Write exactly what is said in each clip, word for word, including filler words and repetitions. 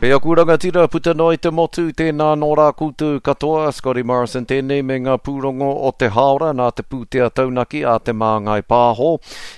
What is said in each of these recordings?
E aku rangatira puta noa i te motu, tēnā nō rā koutou katoa, Scotty Morrison tēnei me ngā pūrongo o te hāora nā te pūtea taunaki a Te Māngai Pāho.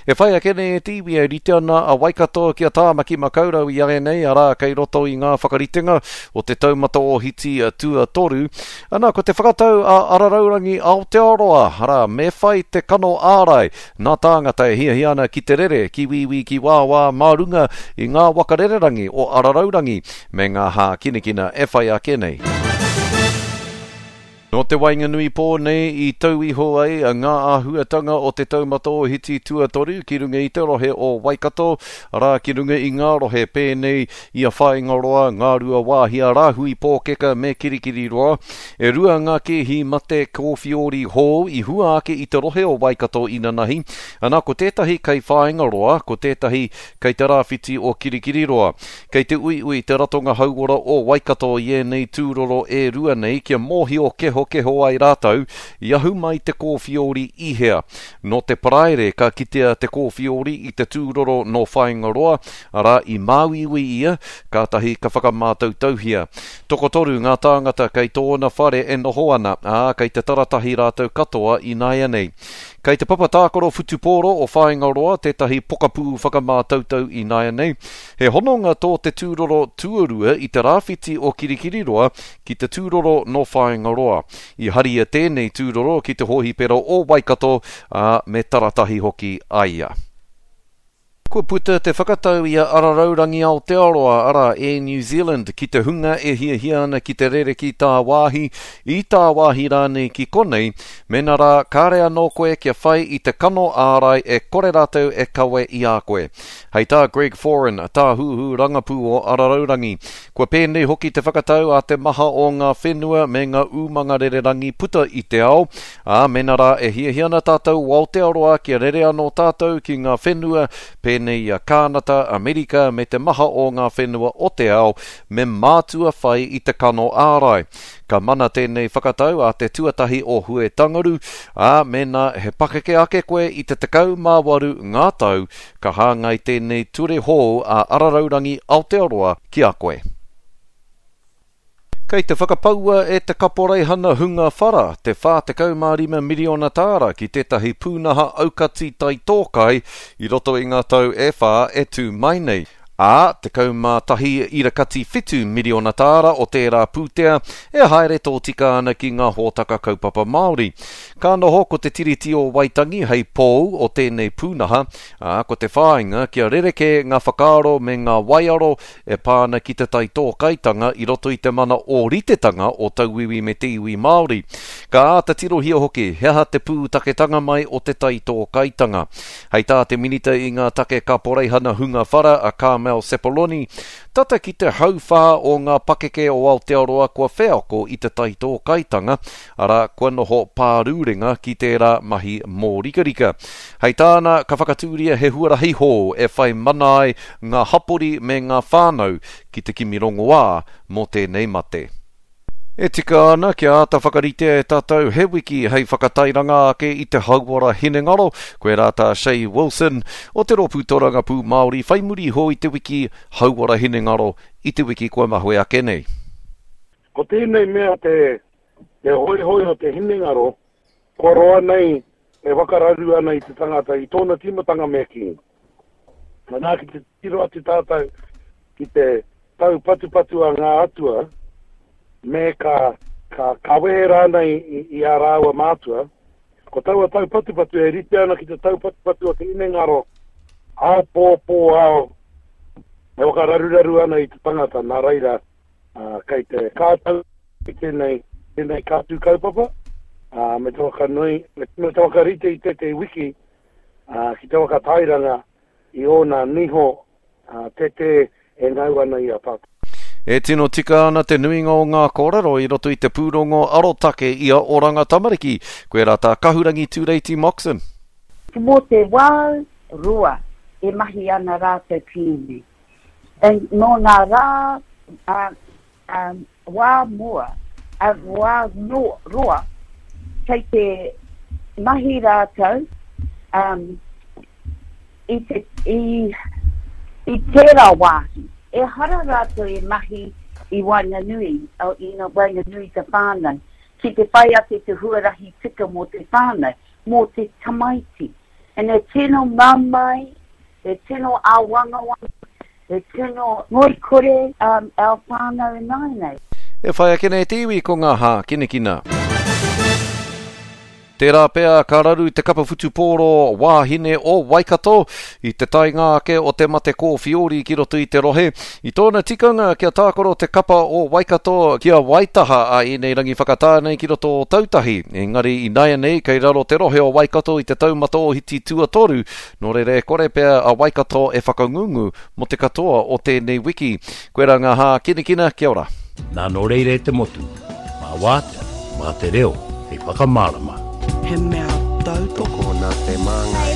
E whai ake nei e te iwi e rite ana a Waikato ki a Tāmaki Makaurau i āianei, arā kei roto i ngā whakaritenga o te taumata ōhiti tuatoru. Ana, ko te whakatau a Araraurangi Aotearoa, arā, me whai te kano ārai nā tāngata e hiahia ana ki te rere, ki wīwī, ki wāwā mā runga i ngā waka rererangi o Araraurangi me ngā hākinakina e whai ake nei. Nō te waenganui pō nei i tau iho ai ngā āhuatanga o te taumata ōhiti tuatoru ki runga i te rohe o Waikato, arā ki runga i ngā rohe pēnei i a Whāingaroa, Ngāruawāhia, Rāhui Pōkeka me Kirikiriroa. E rua ngā kēhi mate kōwhiori hou i hua ake i te rohe o Waikato inanahi, ana ko tētahi kei Whāingaroa, ko tētahi kei te rāwhiti o Kirikiriroa. Kei te uiui te Ratonga Hauora o Waikato i ēnei tūroro e rua nei kia mōhio kehokeho ai rātou i ahu mai te kōwhiori i hea. Nō te Paraire ka kitea te kōwhiori i te tūroro nō Whāingaroa, arā i māuiui ia, kātahi ka whakamātautauhia. Tokotoru ngā tāngata kei tōna whare e noho ana, ā, kei te taratahi rātou katoa ināianei. Kei te papa tākaro whutupōro o Whāingaroa tētahi pokapū whakamātautau ināianei. He hononga tō te tūroro tuarua i te rāwhiti o Kirikiriroa ki te tūroro nō Whāingaroa. I haria tēnei tūroro ki te hōhipera o Waikato, ā, me taratahi hoki a ia. Kua puta te whakatau i a Araraurangi Aotearoa, arā, Air New Zealand, ki te hunga e hiahia ana ki te rere ki tāwāhi, i tāwāhi rānei ki konei, mēnā rā kāre anō koe kia whai i te kano ārai e kore rātou e kawe i a koe. Hei tā Greg Foran, tāhuhu rangapū o Araraurangi, kua pēnei hoki te whakatau a te maha o ngā whenua me ngā umanga rererangi puta i te ao, ā, mēnā rā e hiahia ana tātou o Aotearoa kia rere anō tātou ki ngā whenua pēnei i a Kānata, Amerika me te maha o ngā whenua o te ao, me mātua whai i te kano ārai. Ka mana tēnei whakatau a te tuatahi o Huetangaru, ā, mēnā he pakeke ake koe i te tekau mā waru ngā tau, ka hāngai tēnei ture hou a Araraurangi Aotearoa ki a koe. Kei te whakapaua e te kaporeihana hunga whara te whā tekau mā rima miriona tāra ki tētahi pūnaha aukati taitōkai i roto i ngā tau e whā e tū mai nei. Ā, tekau mā tahi irakati whitu miriona tāra o tērā pūtea e haere tōtika ana ki ngā hōtaka kaupapa Māori. Ka noho ko te Tiriti o Waitangi hei pou o tēnei pūnaha, ā, ko te whāinga kia rerekē ngā whakaaro me ngā waiaro e pā ana ki te taitōkaitanga i roto i te mana ōritetanga o tauiwi me te iwi Māori. Ka āta tirohia hoki he aha te pūtaketanga mai o te taitōkaitanga. Hei tā te minita i ngā take kaporeihana hunga whara a Carmel Sepuloni, tata ki te hauwhā o ngā pakeke o Aotearoa kua wheako i te taitōkaitanga, arā kua noho pārūrenga ki tērā mahi mōrikarika. Hei tāna, ka whakatūria he huarahi hou e whai mana ai ngā hapori me ngā whānau ki te kimi rongoā mō tēnei mate. E tika ana kia āta whakaritea e tātou he wiki hei whakatairanga ake i te hauora hinengaro, koe rā tā Shay Wilson o te Rōpū Torangapū Māori whai muri iho i te wiki hauora hinengaro i te wiki kua mahue ake nei. Ko tēnei mea te, te hoihoi o te hinengaro, kua roa nei e whakararu ana i te tangata i tōna tīmatanga me kī. Nā ki te tiro atu tātou ki te tau patupatu a ngā atua, me ka, ka, ka wehe rānei i, i a rāua mātua, ko taua tau patupatu e rite ana ki te tau patupatu o te hinengaro, ao pō pō ao, e whakararuraru ana i te tangata, nā reira, uh, kei te kātau i tēnei, tēnei kātū kaupapa, uh, me te whakanui, me, me te whakarite i tētehi wiki, uh, ki te whakatairanga i ōna niho, uh, tete e ngau ana i a tātou. E tino tika ana te nuinga o ngā kōrero i roto i te pūrongo arotake i a Oranga Tamariki. Koe rā tā Kahurangi Tūreiti Moxon. Mō te wā roa e mahi ana rātou ki ēnei. Nō ngā rā, a, a, wā mua, a, wā no, roa, kei te mahi rātou, um, i, te, i, i tērā wāhi. Ehara rātou e mahi i waenganui, o, i ngā waenganui te whānau, ki te whai ake te huarahi tika mō te whānau, mō te tamaiti. And e tino mamae, e tino āwangawanga, e tino ngoikore um, our whānau ināianei. E whai ake nei te iwi ko ngā hākinakina. Tērā pea ka raru te kapa whutupōro wāhine o Waikato i te taenga ake o te mate kōwhiori ki roto i te rohe. I tōna tikanga kia tākaro te kapa o Waikato ki a Waitaha a ēnei rangi whakatā nei ki roto o Ōtautahi. Engari ināianei kei raro te rohe o Waikato i te taumata ohiti tuatoru, nō reira e kore pea a Waikato e whakangungu mō te katoa o tēnei wiki. Koirā ngā hākinakina, kia ora. Nā nō reira e te motu, mā wātea, mā te reo, hei whakamārama. He mea tautoko Nā te māngai.